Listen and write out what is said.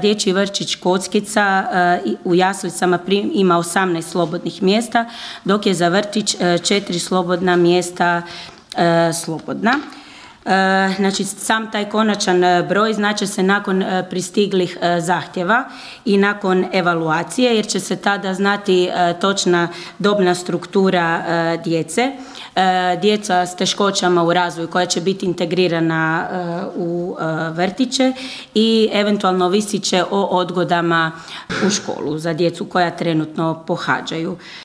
Dječji vrtić Kockica u jaslicama ima 18 slobodnih mjesta, dok je za vrtić 4 slobodna mjesta slobodna. Znači, sam taj konačan broj znači se nakon pristiglih zahtjeva i nakon evaluacije, jer će se tada znati točna dobna struktura djece. Djeca s teškoćama u razvoju koja će biti integrirana u vrtiće i eventualno ovisit će o odgodama u školu za djecu koja trenutno pohađaju.